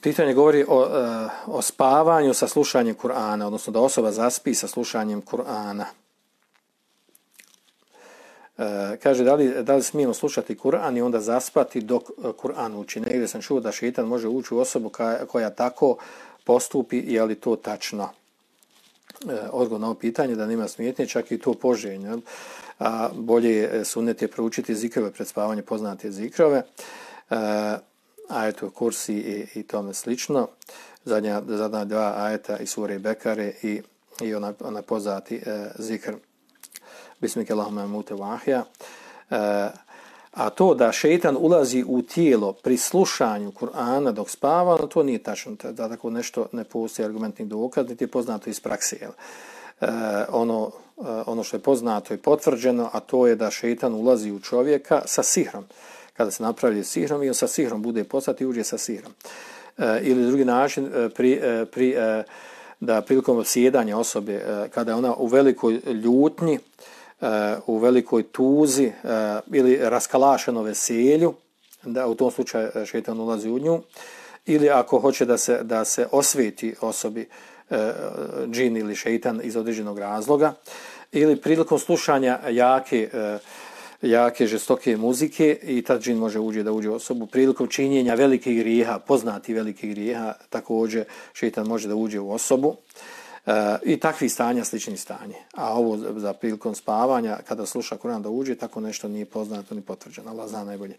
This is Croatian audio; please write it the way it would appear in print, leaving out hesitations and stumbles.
Pitanje govori o spavanju sa slušanjem Kur'ana, odnosno da osoba zaspi sa slušanjem Kur'ana. Kaže, da li smijemo slušati Kur'an i onda zaspati dok Kur'an uči? Negdje sam čuo da šeitan može ući u osobu koja tako postupi, je li to tačno? Odgovor na ovo pitanje da nema smetnje, čak i to poželjno. A bolje sunnet je proučiti zikrove pred spavanje, poznate zikrove, ajetu kursi i tome slično. Zadnja dva ajeta iz sure Bekare i ona poznati zikr Bismike Allahumma mute vahja. A to da šeitan ulazi u tijelo pri slušanju Kur'ana dok spava, to nije tačno. Da tako nešto ne postoji argumentni dokaz, niti je poznato iz prakse. Ono što je poznato i potvrđeno, a to je da šeitan ulazi u čovjeka sa sihrom. Kada se napravi sihrom i on sa sihrom bude poslat i uđe sa sihrom. Ili drugi način, da prilikom sjedanja osobe, kada je ona u velikoj ljutnji, u velikoj tuzi ili raskalašeno veselju, da u tom slučaju šeitan ulazi u nju, ili ako hoće da se osveti osobi džin ili šeitan iz određenog razloga, ili prilikom slušanja jake žestoke muzike i tad džin može da uđe u osobu. Prilikom činjenja velikih grijeha, poznati velikih grijeha, također šeitan može da uđe u osobu. I takvih stanja, sličnih stanje. A ovo za prilikom spavanja, kada sluša Kur'an da uđe, tako nešto nije poznato ni potvrđeno. Allah zna najbolje.